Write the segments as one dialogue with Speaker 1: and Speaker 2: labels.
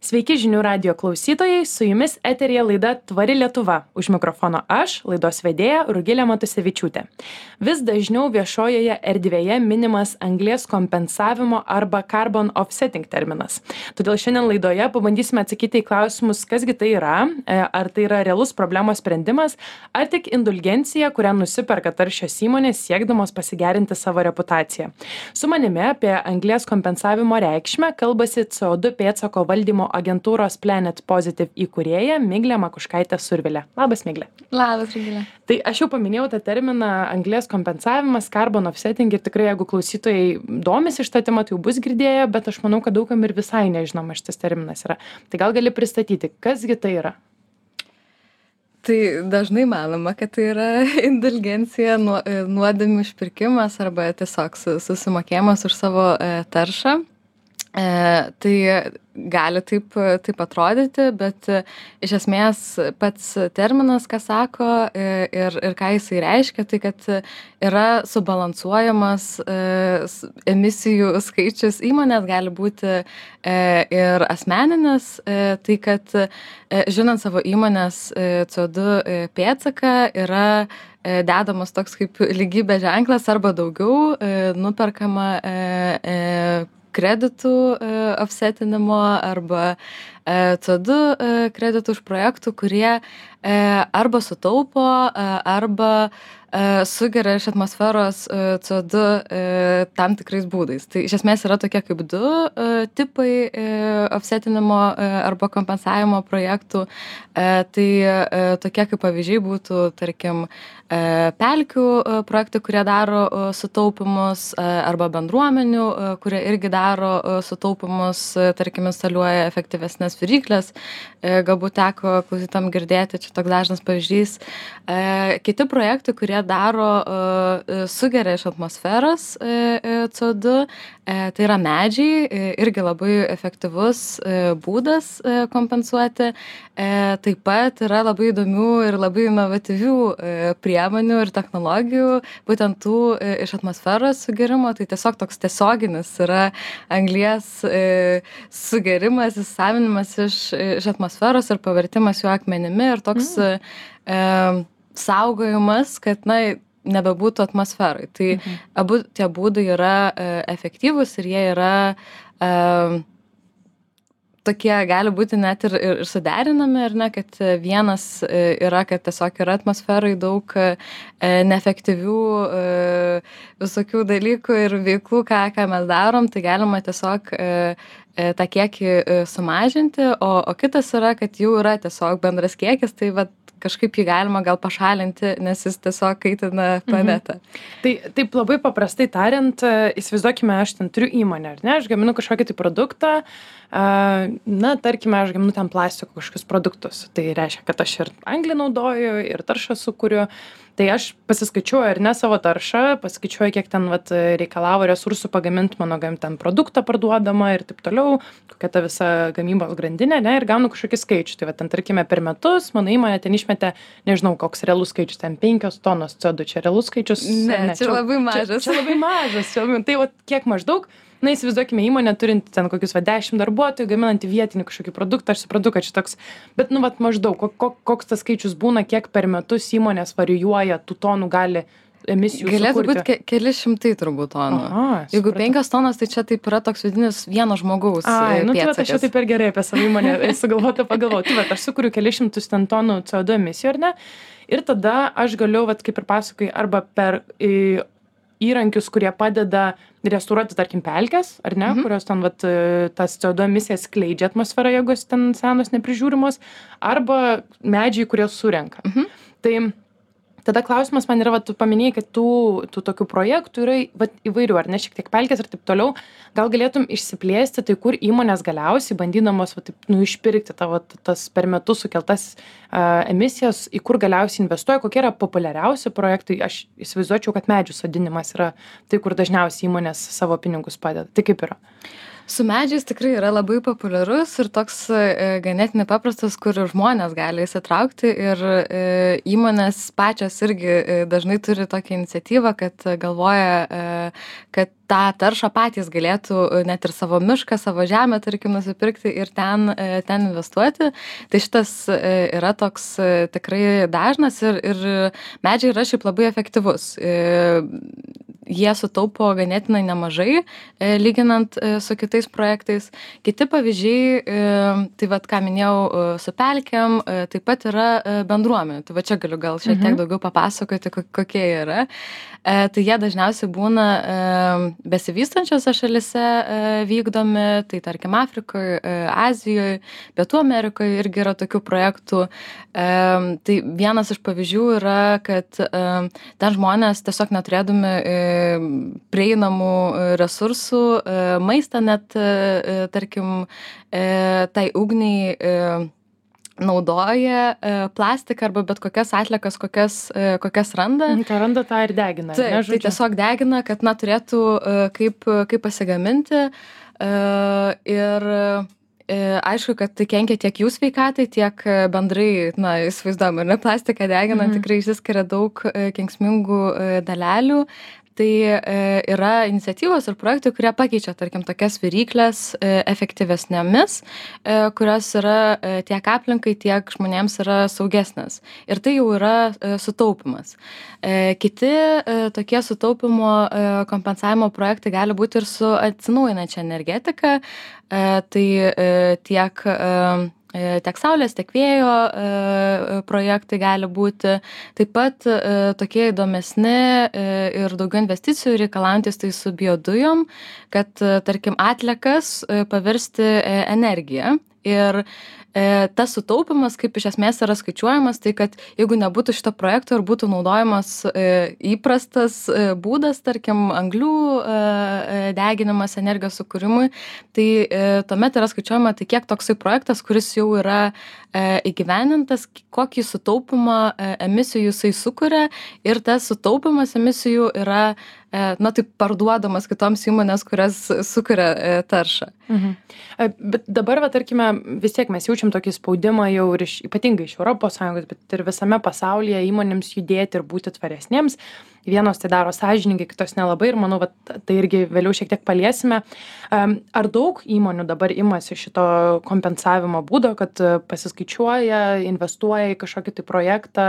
Speaker 1: Sveiki žinių radijo klausytojai, su jumis eteryje laida Tvari Lietuva. Už mikrofono aš, laidos vedėja Rugilė Matusevičiūtė. Vis dažniau viešojoje erdvėje minimas anglies kompensavimo arba carbon offsetting terminas. Todėl šiandien laidoje pabandysime atsakyti į klausimus, kasgi tai yra, ar tai yra realus problemos sprendimas, ar tik indulgencija, kurią nusiperka taršios įmonės siekdamos pasigerinti savo reputaciją. Su manimi apie anglies kompensavimo reikšmę kalbasi CO2 pėdsako valdymo agentūros Planet Positive įkūrėja Miglė Makuškaitė-Survilė. Labas, Miglė.
Speaker 2: Labas, Rugilė.
Speaker 1: Tai aš jau paminėjau tą terminą anglies kompensavimas, carbon offsetting ir tikrai, jeigu klausytojai domisi šitą temą, tai jau bus girdėję, bet aš manau, kad daugam ir visai nežinoma šitas terminas yra. Tai gal gali pristatyti, kasgi tai yra?
Speaker 2: Tai dažnai manoma, kad tai yra indulgencija, nuodėmių išpirkimas arba tiesiog susimokėjimas už savo taršą. Tai gali taip atrodyti, bet iš esmės pats terminas, ką sako ir ką jisai reiškia, tai kad yra subalansuojamas emisijų skaičius įmonės, gali būti ir asmeninis, tai kad žinant savo įmonės CO2 pėdsaką yra dedamas toks kaip lygybės ženklas arba daugiau nuperkama kreditų offsetinimo arba CO2 kreditų už projektų, kurie arba sutaupo, arba sugeria iš atmosferos CO2 tam tikrais būdais. Tai iš esmės yra tokie kaip du tipai offsetinimo arba kompensavimo projektų. Tai tokie kaip pavyzdžiai būtų, tarkim, pelkių projektai, kurie daro sutaupimus, arba bendruomenių, kurie irgi daro sutaupimus, tarkim, instaliuoja efektyvesnės viryklės. Galbūt teko klausytam girdėti, čia toks dažnas pavyzdys. Kiti projektai, kurie sugeria iš atmosferos CO2, tai yra medžiai, irgi labai efektyvus būdas kompensuoti. Taip pat yra labai įdomių ir labai inovatyvių priemonių ir technologijų, būtent tų iš atmosferos sugerimo, tai tiesiog toks tiesioginis yra anglies sugerimas, įsisavinimas iš atmosferos ir pavertimas jų akmenimi ir toks saugojimas, kad nebebūtų atmosferai. Tai abu tie būdai yra efektyvūs ir jie yra tokie, gali būti net ir suderinami, ar ne, kad vienas yra, kad tiesiog yra atmosferai daug neefektyvių visokių dalykų ir veiklų, ką mes darom, tai galima tiesiog tą kiekį sumažinti, o kitas yra, kad jau yra tiesiog bendras kiekis, tai kažkaip jį galima gal pašalinti, nes jis tiesiog kaitina planetą.
Speaker 1: Tai taip labai paprastai tariant, įsivaizduokime, aš ten turiu įmonę, ar ne, aš gaminu kažkokį tai produktą, tarkime, aš gaminu ten plastiko kažkokius produktus. Tai reiškia, kad aš ir anglį naudoju, ir taršą sukuriu. Tai aš pasiskaičiuoju ar ne savo taršą, pasiskaičiuoju, kiek ten reikalavo resursų pagaminti mano ten produktą parduodamą ir taip toliau, kokia ta visa gamybos grandinė, ne, ir gaunu kažkokį skaičių. Tai ten, tarkime, per metus mano įmonė ten išmetė, nežinau, koks realus skaičius, ten 5 tonos CO2, čia realus skaičius?
Speaker 2: Ne, čia labai mažas.
Speaker 1: Čia labai mažas. Tai kiek maždaug? Įsivaizduokime įmonę turinti ten kokius 10 darbuotojų, gaminantį vietinį kažkokį produktą, aš suprantu, kad čia toks, bet maždaug, koks tas skaičius būna, kiek per metus įmonės varijuoja, tų tonų gali emisijų sukurti.
Speaker 2: Galėtų būti keli šimtai turbūt tonų. Jeigu 5 tonos, tai čia taip yra toks vidinis vieno žmogaus pėdsakas.
Speaker 1: Aš jau taip per gerai apie savo įmonę pagalvoti. Aš sukuriu keli šimtus ten tonų CO2 emisijų, ar ne? Ir tada aš galiu, kaip ir pasakai, arba per įrankius, kurie padeda restauruoti, tarkim, pelkes, ar ne, kurios ten tas CO2 emisijas skleidžia atmosferą, jeigu jos ten senos neprižiūrimos, arba medžiai, kurie surenka. Tai tada klausimas man yra, tu paminėjai, kad tų tokių projektų yra įvairių, ar ne, šiek tiek pelkės ir taip toliau. Gal galėtum išsiplėsti, tai kur įmonės galiausiai bandydamos išpirkti tas per metus sukeltas emisijas, į kur galiausiai investuoja, kokie yra populiariausi projektai. Aš įsivaizduočiau, kad medžių sodinimas yra tai, kur dažniausiai įmonės savo pinigus padeda. Tai kaip yra?
Speaker 2: Su medžiais tikrai yra labai populiarus ir toks ganėtinai paprastas, kur žmonės gali įsitraukti ir įmonės pačios irgi dažnai turi tokią iniciatyvą, kad galvoja, kad tą taršą patys galėtų net ir savo mišką, savo žemę, tarkim, nusipirkti ir ten investuoti. Tai šitas yra toks tikrai dažnas ir medžiai yra šiaip labai efektyvus. Jie sutaupo ganėtinai nemažai, lyginant su kitais projektais. Kiti pavyzdžiai, tai vat, ką minėjau, su pelkėm, taip pat yra bendruomenė. Tai va čia galiu gal šiek tiek daugiau papasakoti, kokie jie yra. Tai jie dažniausiai būna besivystančiose šalise vykdomi, tai tarkim Afrikoje, Azijoje, Pietų Amerikoje irgi yra tokių projektų. Tai vienas iš pavyzdžių yra, kad ten žmonės tiesiog neturėdami prieinamų resursų, maistą net, tarkim, tai ugniai naudoja plastiką arba bet kokias atliekas, kokias randa.
Speaker 1: Ką randa, tą ir degina.
Speaker 2: Taip, tai tiesiog degina, kad turėtų kaip pasigaminti. Ir aišku, kad tai kenkia tiek jų sveikatai, tiek bendrai, įsivaizduojam, ir plastiką deginant tikrai išsiskiria daug kenksmingų dalelių. Tai yra iniciatyvos ir projektai, kurie pakeičia, tarkim, tokias viryklės efektyvesnėmis, kurios yra tiek aplinkai, tiek žmonėms yra saugesnės. Ir tai jau yra sutaupimas. Kiti tokie sutaupimo kompensavimo projektai gali būti ir su atsinaujinančia energetika. Tai tiek saulės, tiek vėjo projektai gali būti. Taip pat tokie įdomesni ir daugiau investicijų reikalaujantis tai su biodujom, kad, tarkim, atliekas pavirsti energiją. Ir tas sutaupimas, kaip iš esmės yra skaičiuojamas, tai kad jeigu nebūtų šito projekto ir būtų naudojamas įprastas būdas, tarkim, anglių deginimas energijos sukūrimui, tai tuomet yra skaičiuojama, tai kiek toksai projektas, kuris jau yra įgyvenintas, kokį sutaupimą emisijų jisai sukuria ir tas sutaupimas emisijų yra taip parduodamas kitoms įmonės, kurias sukuria taršą.
Speaker 1: Bet dabar, tarkime, vis tiek mes jaučiam tokį spaudimą jau ir ypatingai iš ES, bet ir visame pasaulyje įmonėms judėti ir būti tvaresnėms. Vienos tai daro sąžiningai, kitos nelabai ir manau, tai irgi vėliau šiek tiek paliesime. Ar daug įmonių dabar imasi šito kompensavimo būdo, kad pasiskaičiuoja, investuoja į kažkokį tai projektą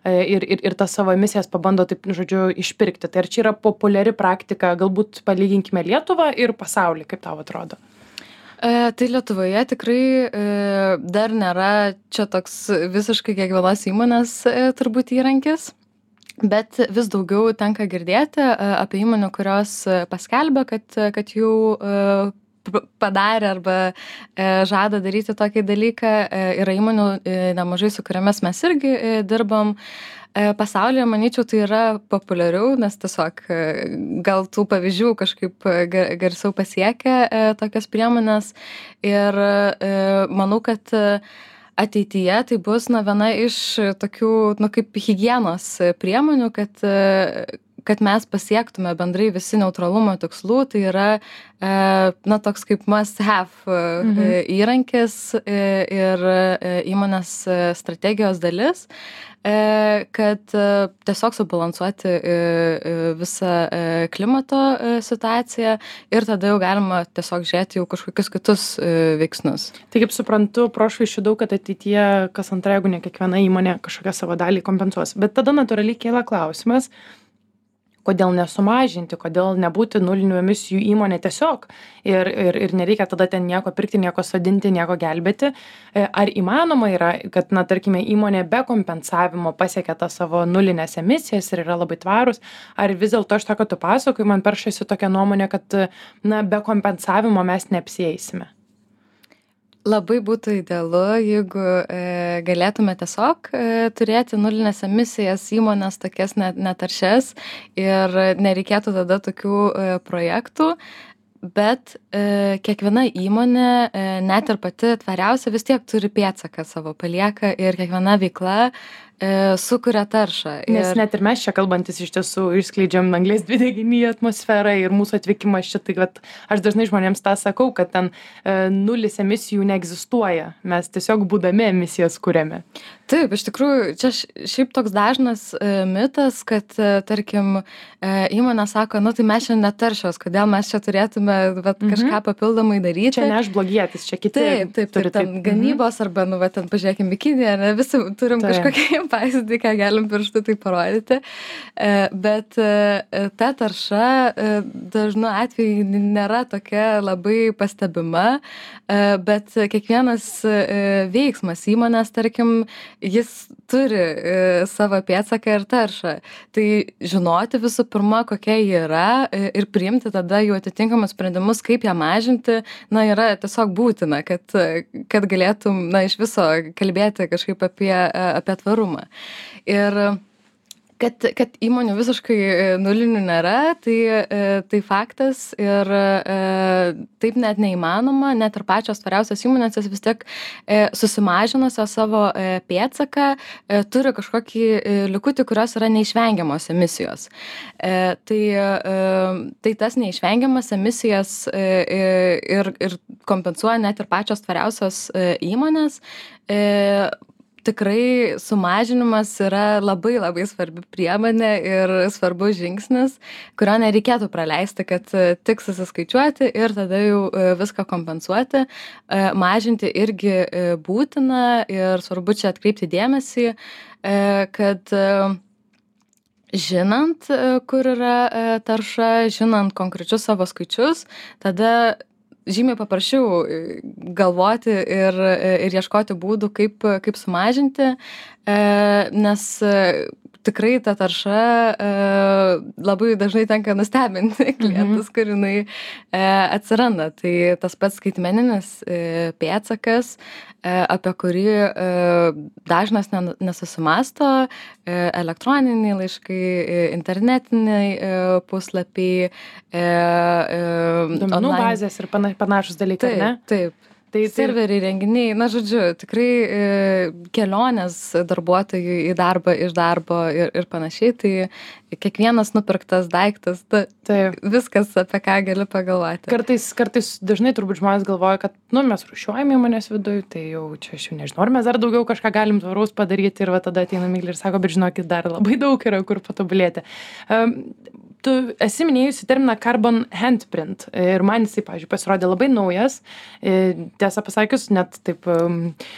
Speaker 1: ir tas savo emisijas pabando taip, žodžiu, išpirkti? Tai ar čia yra populiari praktika, galbūt palyginkime Lietuvą ir pasaulį, kaip tau atrodo?
Speaker 2: Tai Lietuvoje tikrai dar nėra čia toks visiškai kiekvienos įmonės turbūt įrankis. Bet vis daugiau tenka girdėti apie įmonių, kurios paskelbia, kad jau padarė arba žada daryti tokį dalyką. Yra įmonių nemažai, su kuriamis mes irgi dirbam. Pasaulyje, manyčiau, tai yra populiariau, nes tiesiog gal tų pavyzdžių kažkaip garsiau pasiekia tokias priemonės. Ir manau, kad ateityje tai bus viena iš tokių kaip higienos priemonių, kad mes pasiektume bendrai visi neutralumo tikslų. Tai yra toks kaip must have įrankis ir įmonės strategijos dalis, kad tiesiog subalansuoti visą klimato situaciją ir tada jau galima tiesiog žiūrėti jau kažkokius kitus veiksnius.
Speaker 1: Tai kaip suprantu, prošvaisčių daug, kad ateityje kas antra, jeigu ne kiekviena įmonė kažkokią savo dalį kompensuos. Bet tada natūraliai kyla klausimas, kodėl nesumažinti, kodėl nebūti nulinių emisijų įmonė tiesiog ir nereikia tada ten nieko pirkti, nieko sodinti, nieko gelbėti. Ar įmanoma yra, kad, tarkime, įmonė be kompensavimo pasiekia tą savo nulinės emisijas ir yra labai tvarus, ar vis dėlto aš to, kad tu pasakoji, man peršasi tokia nuomonė, kad be kompensavimo mes neapsieisime?
Speaker 2: Labai būtų idealu, jeigu galėtume tiesiog turėti nulinės emisijas įmonės tokias netaršias ir nereikėtų tada tokių projektų, bet kiekviena įmonė, net ir pati tvariausia, vis tiek turi pėdsaką savo palieka ir kiekviena veikla sukuria taršą.
Speaker 1: Nes net ir mes čia kalbantis iš tiesų išskleidžiam anglies dvideginį į atmosferą ir mūsų atvykimas čia, tai kad aš dažnai žmonėms tą sakau, kad ten nulis emisijų neegzistuoja, mes tiesiog būdami emisijas kuriame.
Speaker 2: Taip, iš tikrųjų, čia šiaip toks dažnas mitas, kad, tarkim, įmonė sako, nu tai mes čia netaršios, kodėl mes čia turėtume kažką papildomai daryti.
Speaker 1: Čia ne aš blogietis, čia kiti.
Speaker 2: Taip, ten gamybos arba, nu, ten pažiūrėkim į Kiniją, ne, visi turim kažkokį pavyzdį, ką galim pirštu tai parodyti, bet ta tarša dažnu atveju nėra tokia labai pastebima, bet kiekvienas veiksmas įmonės, tarkim, jis turi savo pėdsaką ir taršą. Tai žinoti visų pirma, kokia ji yra ir priimti tada jų atitinkamus sprendimus, kaip ją mažinti, na, yra tiesiog būtina, kad galėtum, na, iš viso kalbėti kažkaip apie tvarumą. Ir kad įmonių visiškai nulinių nėra, tai faktas ir taip net neįmanoma, net ir pačios tvariausios įmonės vis tiek susimažinusios savo pėdsaką turi kažkokį likutį, kurios yra neišvengiamos emisijos. Tai tas neišvengiamas emisijas ir kompensuoja net ir pačios tvariausios įmonės. Tikrai sumažinimas yra labai labai svarbi priemonė ir svarbus žingsnis, kurio nereikėtų praleisti, kad tik susiskaičiuoti ir tada jau viską kompensuoti. Mažinti irgi būtina ir svarbu čia atkreipti dėmesį, kad žinant, kur yra tarša, žinant konkrečius savo skaičius, tada žymiai paprasčiau galvoti ir ieškoti būdų, kaip sumažinti, nes tikrai ta tarša labai dažnai tenka nustebinti klientus, kur jinai atsiranda. Tai tas pats skaitmeninis pėdsakas, apie kurį dažnas nesusimąsto, elektroniniai laiškai, internetiniai puslapiai,
Speaker 1: duomenų bazės ir panašus dalykai, ne?
Speaker 2: Taip. Serveriai, renginiai, na, žodžiu, tikrai kelionės darbuotojų į darbą, iš darbo ir panašiai, tai kiekvienas nupirktas daiktas, viskas, apie ką gali pagalvoti.
Speaker 1: Kartais dažnai turbūt žmonės galvoja, kad, nu, mes rūšiuojame įmonės viduje, tai jau čia aš jau nežinau, ar mes dar daugiau kažką galim tvaraus padaryti ir va tada ateina Miglė ir sako, bet žinokit, dar labai daug yra kur patobulėti. Tu esi minėjusi terminą carbon handprint ir man jisai, pavyzdžiui, pasirodė labai naujas. Tiesą pasakius, net taip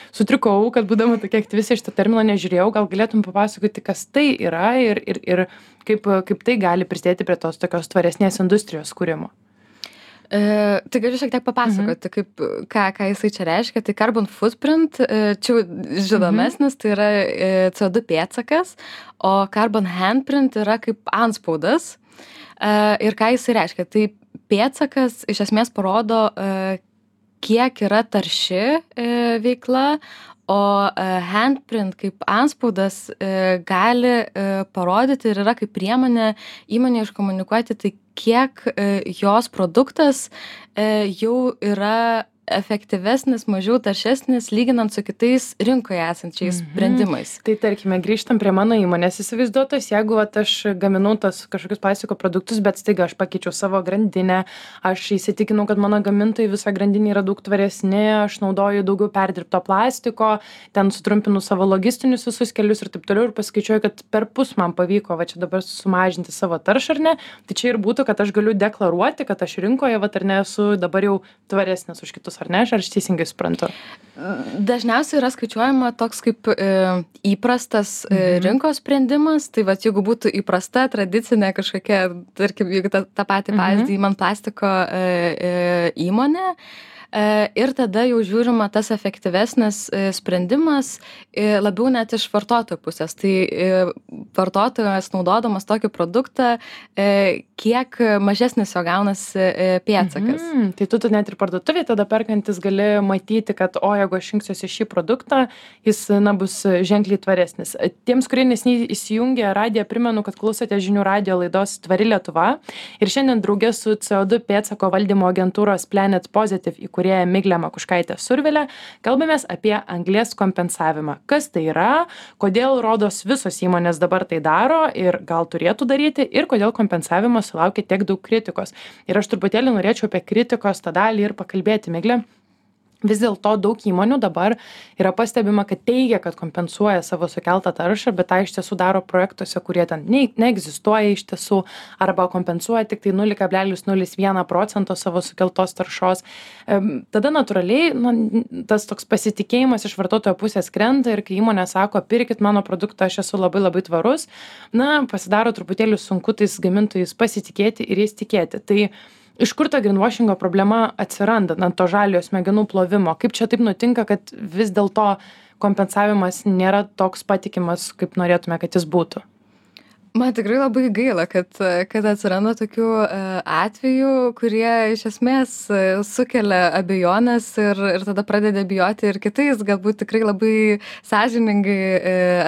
Speaker 1: sutrikau, kad būdama tokia aktyvistė šitą terminą nežiūrėjau. Gal galėtum papasakoti, kas tai yra ir kaip tai gali prisidėti prie tos tokios tvaresnės industrijos kūrimo?
Speaker 2: Tai galiu šiek tiek papasakoti, ką jisai čia reiškia. Tai carbon footprint, čia žinomesnis, tai yra CO2 pėdsakas, o carbon handprint yra kaip antspaudas. Ir ką jisai reiškia? Tai pėdsakas iš esmės parodo, kiek yra tarši veikla, o handprint kaip antspaudas gali parodyti ir yra kaip priemonė įmonė iškomunikuoti, tai kiek jos produktas jau yra efektyvesnis, mažiau taršesnis, lyginant su kitais rinkoje esančiais sprendimais.
Speaker 1: Tai tarkime, grįžtam prie mano įmonės įsivaizduotos, jeigu aš gaminau tos kažkokius plastiko produktus, bet staiga aš pakeičiau savo grandinę, aš įsitikinau, kad mano gamintojai visą grandinę yra daug tvaresni, aš naudoju daugiau perdirbto plastiko, ten sutrumpinu savo logistinius visus kelius ir taip toliau ir paskaičiuoju, kad per pus man pavyko va čia dabar sumažinti savo taršą, ar ne? Tai čia ir būtų, kad aš galiu deklaruoti, kad aš rinkoje va ar ne esu dabar jau tvaresnis už kitus. Ar ne, aš teisingai suprantu?
Speaker 2: Dažniausiai yra skaičiuojama toks kaip įprastas rinkos sprendimas, tai vat, jeigu būtų įprasta, tradicinė kažkokia, tarkim, jeigu tą patį pavyzdį įman plastiko įmonė, ir tada jau žiūrima tas efektyvesnis sprendimas labiau net iš vartotojo pusės. Tai vartotojas naudodamas tokį produktą, kiek mažesnis jo gaunasi pėdsakas.
Speaker 1: Tai tu net ir parduotuvėje tada perkantis gali matyti, kad jeigu aš rinksiuosi šį produktą, jis bus ženkliai tvaresnis. Tiems, kurie neseniai įsijungė radiją, primenu, kad klausote žinių radijo laidos Tvari Lietuva ir šiandien drauge su CO2 pėdsako valdymo agentūros Planet Positive įkūrėja įkūrėja Miglė Makuškaitė Survilė. Kalbamės apie anglies kompensavimą. Kas tai yra, kodėl rodos visos įmonės dabar tai daro ir gal turėtų daryti ir kodėl kompensavimas sulaukia tiek daug kritikos. Ir aš truputėlį norėčiau apie kritikos tą dalį ir pakalbėti, Miglė. Vis dėlto daug įmonių dabar yra pastebima, kad teigia, kad kompensuoja savo sukeltą taršą, bet tą iš tiesų daro projektuose, kurie ten neegzistuoja iš tiesų, arba kompensuoja tik tai 0,01% savo sukeltos taršos. Tada natūraliai tas toks pasitikėjimas iš vartotojo pusės krenta ir kai įmonė sako, pirkit mano produktą, aš esu labai labai tvarus, pasidaro truputėlį sunku tais gamintojais pasitikėti ir jais tikėti. Tai iš kur ta greenwashingo problema atsiranda, to žaliojo smegenų plovimo? Kaip čia taip nutinka, kad vis dėlto kompensavimas nėra toks patikimas, kaip norėtume, kad jis būtų?
Speaker 2: Man tikrai labai gaila, kad atsiranda tokių atvejų, kurie iš esmės sukelia abejonės ir tada pradeda bijoti ir kitais, galbūt tikrai labai sąžiningai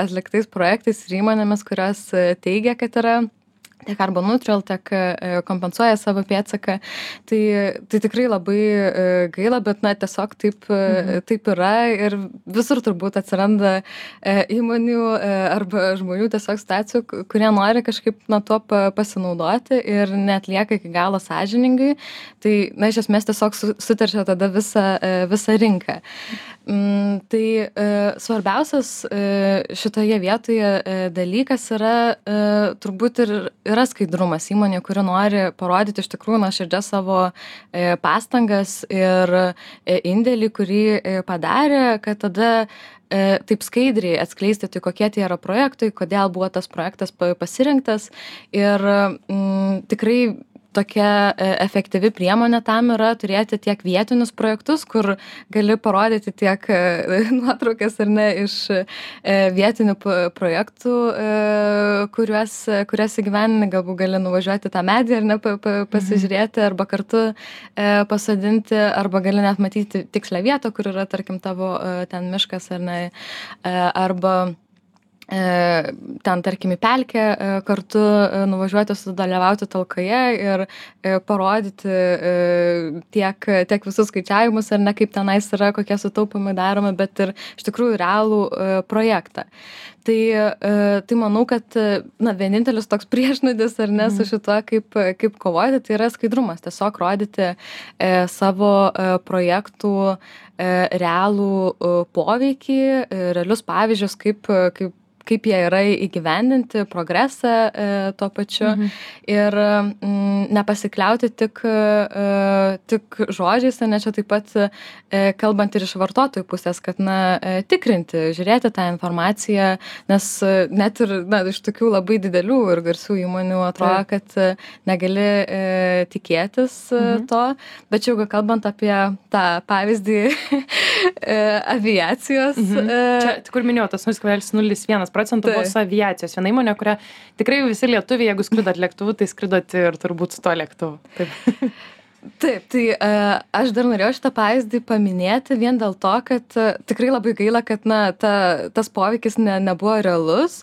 Speaker 2: atliktais projektais ir įmonėmis, kurios teigia, kad yra tiek carbon neutral, tiek kompensuoja savo pėdsaką. Tai tikrai labai gaila, bet tiesiog taip yra ir visur turbūt atsiranda įmonių arba žmonių tiesiog situacijų, kurie nori kažkaip tuo pasinaudoti ir neatlieka iki galo sąžiningai. Tai iš esmės tiesiog suteršia tada visą rinką. Tai svarbiausias šitoje vietoje dalykas yra turbūt ir yra skaidrumas įmonė, kuri nori parodyti iš tikrųjų nuoširdžias savo pastangas ir indėlį, kurį padarė, kad tada taip skaidriai atskleisti, tai kokie tie yra projektai, kodėl buvo tas projektas pasirinktas ir tikrai tokia efektyvi priemonė tam yra turėti tiek vietinius projektus, kur gali parodyti tiek nuotraukas ar ne iš vietinių projektų, kuriuos įgyvendini, galbūt gali nuvažiuoti tą medį ar ne pasižiūrėti, arba kartu pasodinti, arba gali net matyti tikslę vietą, kur yra, tarkim, tavo ten miškas ar ne, arba ten, tarkim, į pelkę kartu nuvažiuoti, sudalyvauti talkoje ir parodyti tiek visus skaičiavimus, ar ne, kaip tenais yra, kokie sutaupimai daromi, bet ir iš tikrųjų realų projektą. Tai manau, kad vienintelis toks priešnodis ar ne su šituo, kaip kovoti, tai yra skaidrumas. Tiesiog rodyti savo projektų realų poveikį, realius pavyzdžius, kaip jie yra įgyvendinti, progresą tuo pačiu ir nepasikliauti tik žodžiais, ne čia taip pat kalbant ir iš vartotojų pusės, kad tikrinti, žiūrėti tą informaciją, nes net ir iš tokių labai didelių ir garsių įmonių atrodo, kad negali tikėtis to, bet jau kalbant apie tą pavyzdį aviacijos.
Speaker 1: Čia, kur minėjau, tas 0,01% buvo su aviacijos. Viena įmonė, kurią tikrai visi lietuviai, jeigu skridot lėktuvu, tai skridot ir turbūt su to lėktuvu. Taip.
Speaker 2: Taip, tai aš dar norėjau šitą pavyzdį paminėti vien dėl to, kad tikrai labai gaila, kad tas poveikis nebuvo realus,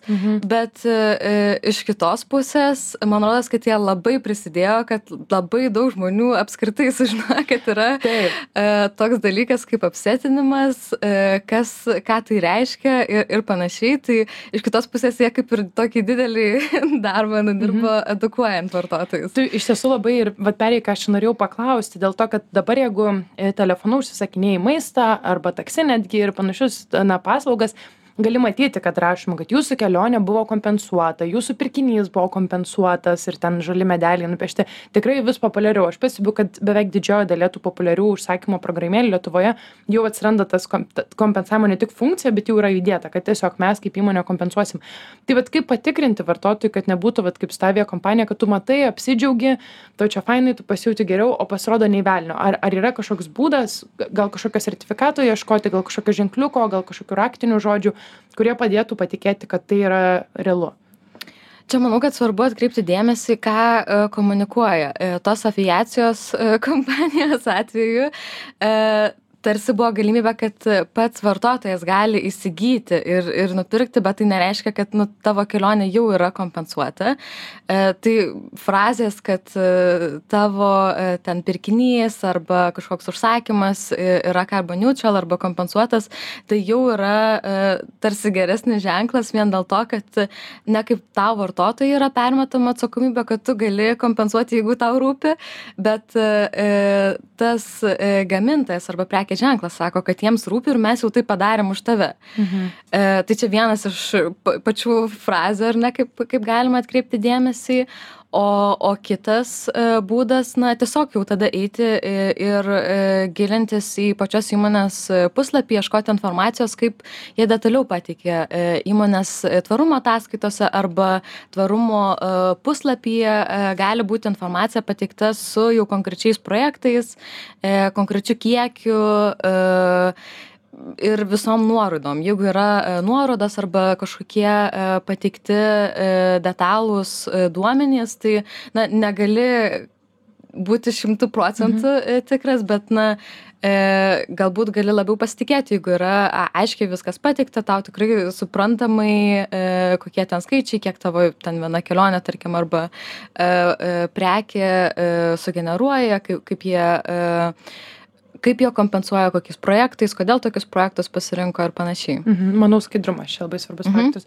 Speaker 2: bet iš kitos pusės, man rodos, kad jie labai prisidėjo, kad labai daug žmonių apskritai sužinojo, kad yra toks dalykas kaip apsetinimas, ką tai reiškia ir panašiai. Tai iš kitos pusės jie kaip ir tokį didelį darbą nudirbo edukuojant vartotojus.
Speaker 1: Tai iš tiesų labai ir perėjai, ką aš norėjau paklausti, dėl to, kad dabar jeigu telefonu užsisakinėjai maistą arba taksi netgi ir panašius paslaugas, gali matyti, kad rašoma, kad jūsų kelionė buvo kompensuota, jūsų pirkinys buvo kompensuotas ir ten žali medeliai nupiešti. Tikrai vis populiariau. Aš pastebiu, kad beveik didžioji dalis tų populiarių užsakymo programėlių Lietuvoje jau atsiranda tas kompensavimo ne tik funkcija, bet jau yra įdėta, kad tiesiog mes kaip įmonė kompensuosim. Tai kaip patikrinti vartotojui, kad nebūtų kaip su aviakompanija, kad tu matai, apsidžiaugi, tau čia fainai, tu pasijauti geriau, o pasirodo nei velnio. Ar yra kažkoks būdas, gal kažkokio sertifikato ieškoti, gal kažkokio ženkliuko, gal kažkokių raktinių žodžių, kurie padėtų patikėti, kad tai yra realu?
Speaker 2: Čia manau, kad svarbu atkreipti dėmesį, ką komunikuoja tos aviacijos kompanijos atveju. tarsi buvo galimybė, kad pats vartotojas gali įsigyti ir nupirkti, bet tai nereiškia, kad tavo kelionė jau yra kompensuota. Tai frazės, kad tavo ten pirkinys arba kažkoks užsakymas yra carbon neutral arba kompensuotas, tai jau yra tarsi geresnis ženklas vien dėl to, kad ne kaip tau vartotojai yra permetama atsakomybė, kad tu gali kompensuoti, jeigu tau rūpi, bet tas gamintojas arba prekės ženklas sako, kad jiems rūpi ir mes jau tai padarėm už tave. Tai čia vienas iš pačių frazių, ar ne, kaip galima atkreipti dėmesį, o kitas būdas, tiesiog jau tada eiti ir gilintis į pačios įmonės puslapį, ieškoti informacijos, kaip jie detaliau pateikė įmonės tvarumo ataskaitose arba tvarumo puslapyje gali būti informacija pateikta su jau konkrečiais projektais, konkrečiu kiekiu ir visom nuorodom. Jeigu yra nuorodos arba kažkokie pateikti detalūs duomenys, tai negali būti 100% tikras, bet galbūt gali labiau pasitikėti, jeigu yra aiškiai viskas pateikta, tau tikrai suprantamai, kokie ten skaičiai, kiek tavo ten viena kelionė, tarkim, arba prekė sugeneruoja, kaip jie kompensuoja, kokiais projektais, kodėl tokius projektus pasirinko ir panašiai.
Speaker 1: Manau, skaidrumas čia labai svarbus faktas.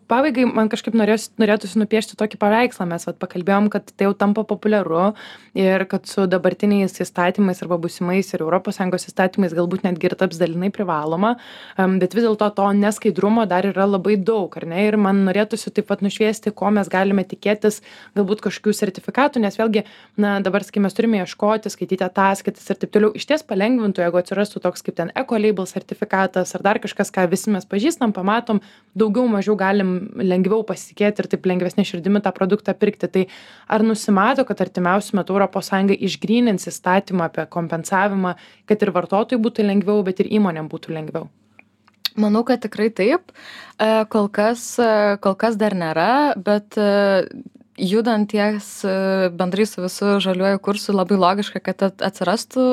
Speaker 1: Pabaigai, man kažkaip norėtųsi nupiešti tokį paveikslą. Mes pakalbėjom, kad tai jau tampa populiaru ir kad su dabartiniais įstatymais arba būsimais ir ES įstatymais galbūt netgi ir taps dalinai privaloma, bet vis dėlto to neskaidrumo dar yra labai daug, ar ne? Ir man norėtųsi taip pat nušviesti, ko mes galime tikėtis, galbūt kažkokių sertifikatų, nes vėlgi, dabar, sakykime, mes turime ieškoti, skaityti ataskaitas ir taip toliau. Išties palengvintų, jeigu atsirastų toks kaip ten eco-label sertifikatas ar dar kažkas, ką visi mes pažįstam, pamatom, daugiau mažiau galim lengviau pasitikėti ir taip lengvesnė širdimi tą produktą pirkti. Tai ar nusimato, kad artimiausiu metu ES išgrynins įstatymą apie kompensavimą, kad ir vartotojui būtų lengviau, bet ir įmonėm būtų lengviau?
Speaker 2: Manau, kad tikrai taip. Kol kas dar nėra, bet judant ties bendrai su visu žaliuoju kursu, labai logiška, kad atsirastų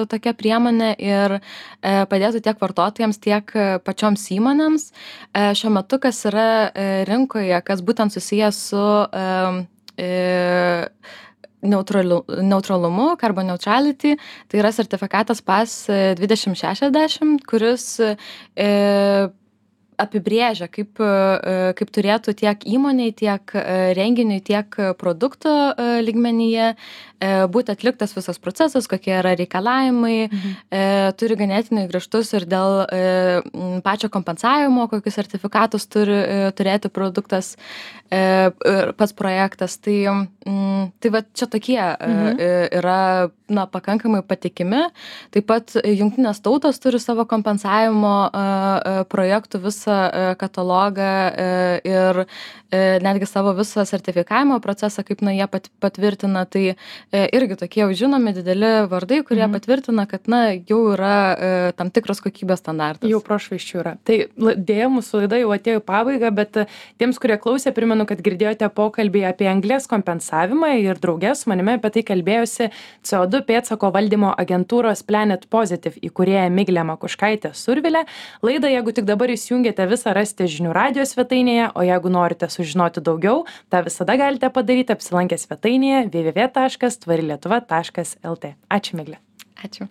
Speaker 2: tokia priemonė ir padėtų tiek vartotojams, tiek pačioms įmonėms. Šiuo metu, kas yra rinkoje, kas būtent susijęs su neutralumu, carbon neutrality, tai yra sertifikatas PAS 2060, kuris apibrėžia, kaip turėtų tiek įmoniai, tiek renginiui, tiek produkto lygmenyje būti atliktas visas procesas, kokie yra reikalavimai, turi ganėtinai griežtus ir dėl pačio kompensavimo, kokius sertifikatus turi turėti produktas, pats projektas. Tai va čia tokie yra pakankamai patikimi. Taip pat Jungtinės tautos turi savo kompensavimo projektų visą katalogą ir netgi savo visą sertifikavimo procesą, kaip jie patvirtina. Tai irgi tokie jau žinomi dideli vardai, kurie patvirtina, kad jau yra tam tikras kokybės standartas.
Speaker 1: Jau prošvaisčių yra. Tai dėja, mūsų laida jau atėjo į pabaigą, bet tiems, kurie klausė, primenu, kad girdėjote pokalbį apie anglies kompensavimą ir drauge su manimi apie tai kalbėjosi CO2 pėdsako valdymo agentūros Planet Positive įkūrėja Miglė Makuškaitė Survilė. Laidą, jeigu tik dabar įsijungėte, visą rasite žinių radijo svetainėje, o jeigu norite sužinoti daugiau, tą visada galite padaryti apsilankę svetainėje www.tvarilietuva.lt. Ačiū, Miglė.
Speaker 2: Ačiū.